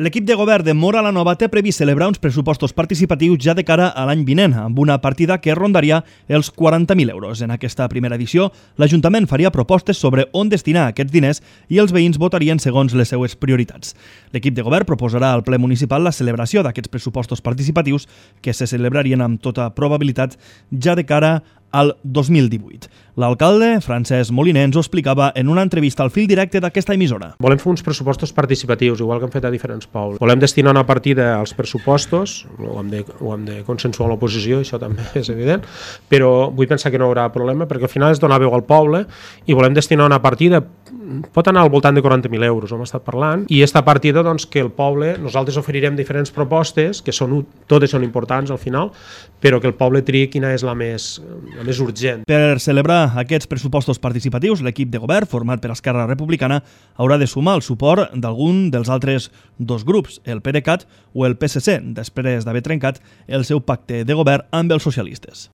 L'equip de govern de Móra la Nova té previst celebrar uns pressupostos participatius ja de cara a l'any vinent, amb una partida que rondaria els 40.000 euros. En aquesta primera edició, l'Ajuntament faria propostes sobre on destinar aquests diners i els veïns votarien segons les seues prioritats. L'equip de govern proposarà al ple municipal la celebració d'aquests pressupostos participatius que se celebrarien amb tota probabilitat ja de cara al 2018. L'alcalde, Francesc Moliner, ens ho explicava en una entrevista al fil directe d'aquesta emissora. Volem fer uns pressupostos participatius, igual que hem fet a diferents pobles. Volem destinar una partida als pressupostos, ho hem de consensuar amb l'oposició, això també és evident, però vull pensar que no hi haurà problema, perquè al final és donar veu al poble i volem destinar una partida, pot anar al voltant de 40.000 euros, hem estat parlant, i aquesta partida, doncs, que el poble, nosaltres oferirem diferents propostes, que totes són importants al final, però que el poble triï quina és la més urgent. Per celebrar aquests pressupostos participatius, l'equip de govern, format per Esquerra Republicana, haurà de sumar el suport d'algun dels altres dos grups, el PDeCAT o el PSC, després d'haver trencat el seu pacte de govern amb els socialistes.